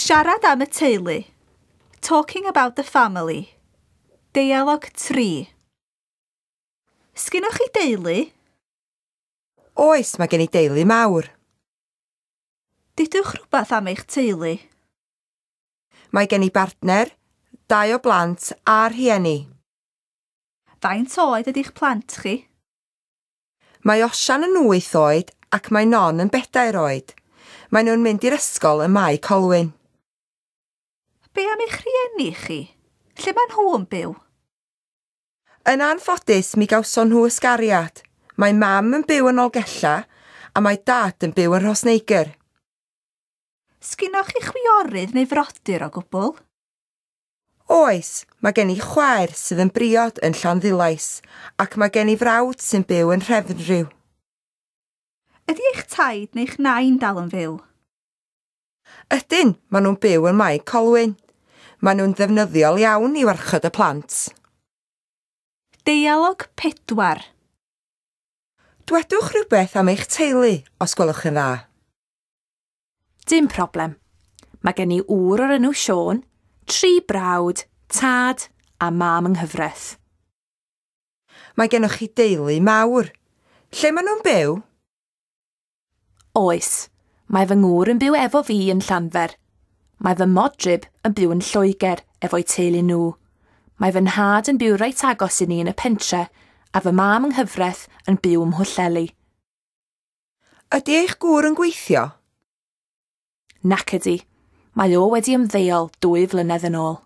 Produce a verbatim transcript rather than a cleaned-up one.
Siarad am y teulu. Talking about the family. Deialog tri. Sgynnoch chi deulu? Oes, mae gen i deulu mawr. Dudwch rhywbeth am eich teulu. Mae gen i bartner, dau o blant a rhieni. Faint oed ydy'ch plant chi? Mae Osian yn wyth oed ac mae Non yn bedair oed. Maen nhw'n mynd i'r ysgol ym Mae Colwyn. Be am eich rhieni chi? Lle maen nhw yn byw? Yn anffodus, mi gawson nhw ysgariad. Mae mam yn byw yn Nolgella a mae dad yn byw yn Rhosneigr. Sgynnoch chi chwiorydd neu frodyr o gwbl? Oes, mae gen i chwaer sydd yn briod yn Llanddulais ac mae gen i frawd sy'n byw yn Nhrefnrhiw. Ydy eich taid neu'ch nain dal yn fyw? Ydyn, maen nhw'n byw yn Mae Colwyn. Maen nhw'n ddefnyddiol iawn i warchod y plant. Deialog pedwar. Dwedwch rhywbeth am eich teulu, os gwelwch yn dda. Dim problem. Mae gen i ŵr o'r enw Siôn, tri brawd, tad a mam yng nghyfraith. Mae gennych chi deulu mawr. Lle maen nhw'n byw? Oes, mae fy ngŵr yn byw efo fi yn Llanfair. Mae fy modryb yn byw yn Lloegr efo'u teulu nhw. Mae fy nhad yn byw reit agos i ni yn y pentre a fy mam yng nghyfraith yn byw ym Mhwllheli. Ydy eich gŵr yn gweithio? Nac ydy. Mae o wedi ymddeol dwy flynedd yn ôl.